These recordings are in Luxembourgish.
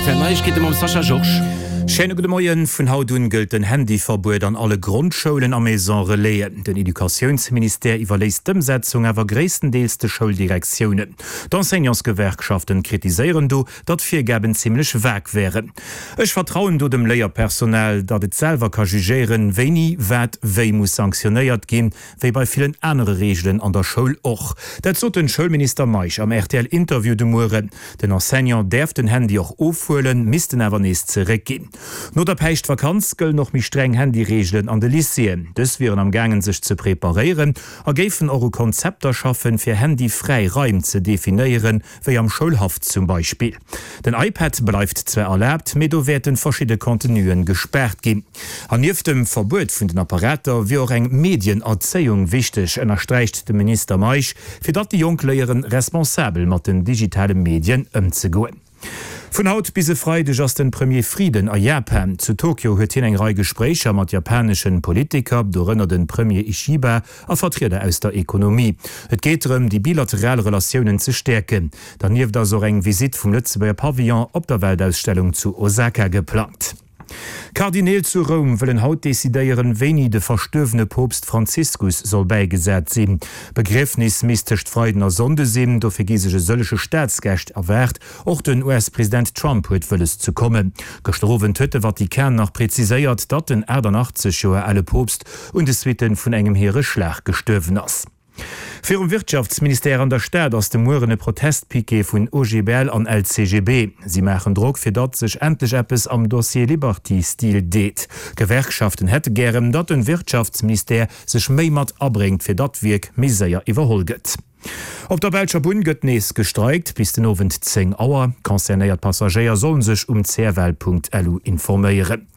Rtl Neiegkeete mam Sascha Georges. Schéine gudde Moien. Vun haut un gëllt den Handyverbuet an alle Grondschoulen a Maison Relaisen. Den Educatiounsministère iwwerléisst d'Ëmsetzung awer gréisstendeels de Schouldirektiounen. D'Enseignantsgewerkschaften kritiséieren do, datt d'Virgaben zimmlech vag wären. Ech vertrauen do dem Léierpersonal, datt et selwer ka jugéieren, wéini wat wéi muss sanktionéiert ginn, Wéi bei villen anere Reegelen an der Schoul och. Dat sot den Schoulminister Meisch am RTL-Interview de Mueren. Den Enseignant däerf den Handy och ofhuelen, misst en awer nees zeréckginn. No der Päischtvakanz gëllen och méi streng Handyreegelen an de Lycéeën. Dës wieren am gaangen sech ze preparéieren a géifen och u Konzepter schaffen, fir handyfräi Raim ze definéieren, wéi am Schoulhaff zum Beispill. Den iPad bleift zwar erlaabt, mee do wäerten verschidde Contenuen gespaart ginn. An nieft dem Verbuet vun den Apparater wier och eng Medienerzéiung wichteg, ënnersträicht de Minister Meisch, fir datt déi Jonk léieren, responsabel mat den digitale Medien ëmzegoen. Vun haut bis e Freideg ass den Premier Frieden a Japan. Zu Tokio huet hien eng Rei Gespréicher mat japaneschen Politiker, dorënner den Premier Ishiba a Vertrieder aus der Ekonomie. Et geet drëm, déi bilateral Relatiounen ze stäerken. Dernieft ass och eng Visitt vum Lëtzebuerger Pavillon op der Weltausstellung zu Osaka geplangt. D'Kardineel zu Roum wëllen haut decidéieren, wéini de verstuerwene Poopst Franziskus soll bäigesat sinn. D'Begriefnis misst tëscht Freiden a Sonnde sinn. Dofir gi sech e sëllege Staatsgäscht erwaart. Och den US-President Trump huet wëlles ze kommen. Gëschter Owend huet de Vatikan nach preziséiert, datt den 88 Joer ale Poopst un de Suitte vun engem Hiereschlag gestuerwen ass. Virum Wirtschaftsministère an der Stad ass de Mueren e Protestpiquet vun OGBL an LCGB. Si maachen Drock, fir datt sech endlech eppes am Dossier Liberty Steel deet. D'Gewerkschaften hätte gären, datt den Wirtschaftsministère sech méi mat abréngt, fir datt d'Wierk méi séier iwwerholl gëtt. Op der belscher Bunn gëtt nees gestreikt, bis den Owend 10 Auer. Concernéiert Passagéier sollen sech um cfl.lu informéieren.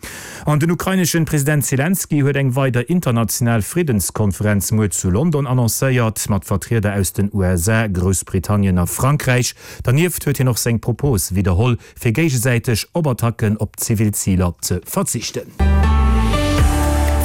An den ukraineschen President Selenskyj huet eng weider international Friddenskonferenz muer zu London annoncéiert, mat Vertrieder aus den USA, Groussbritannien a Frankräich. Dernieft huet hien och seng Propos widderholl, fir géigesäiteg op Attacken op zivil Ziler ze verzichten.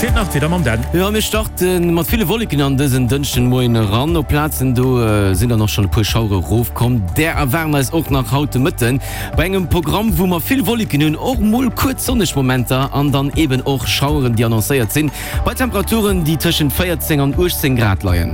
Feelt nach d'Wieder mam Dan. Jo, mir starte mat ville Wolleken an dësen Dënschdenmoien eran. Op Plazen do sinn dann och schonn e puer Schauere rofkomm. Där erwaarden eis och nach haut de Mëtten bei engem Programm, wou mer vill Wolleken hunn, och mol kuerz sonneg Momenter an dann eben och Schaueren, déi annoncéiert sinn, bei Temperaturen, déi tëschent 14 an 18 Grad leien.